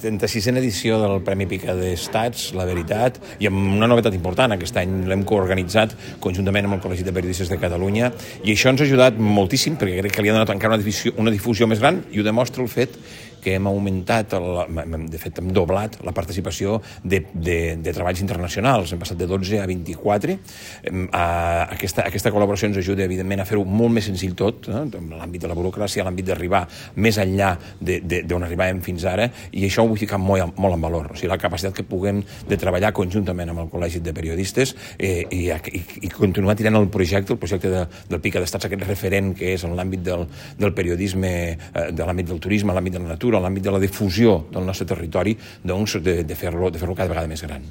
36a edició del Premi Pica d'Estats, La Veritat, i amb una novetat important. Aquest any l'hem coorganitzat conjuntament amb el Col·legi de Periodistes de Catalunya, i això ens ha ajudat moltíssim, perquè crec que li ha donat encara una difusió més gran, i ho demostra el fet que hem augmentat, de fet hem doblat la participació de treballs internacionals. Hem passat de 12 a 24. Aquesta col·laboració ens ajuda, evidentment, a fer-ho molt més senzill tot, en l'àmbit de la burocràcia, en l'àmbit d'arribar més enllà d'on arribàvem fins ara, i això ho vull ficar molt en valor. O sigui, la capacitat que puguem de treballar conjuntament amb el Col·legi de Periodistes i continuar tirant el projecte del Pica d'Estats, aquest referent que és en l'àmbit del periodisme, de l'àmbit del turisme, l'àmbit de la natura, en l'àmbit de la difusió del nostre territori, doncs de fer-lo cada vegada més gran.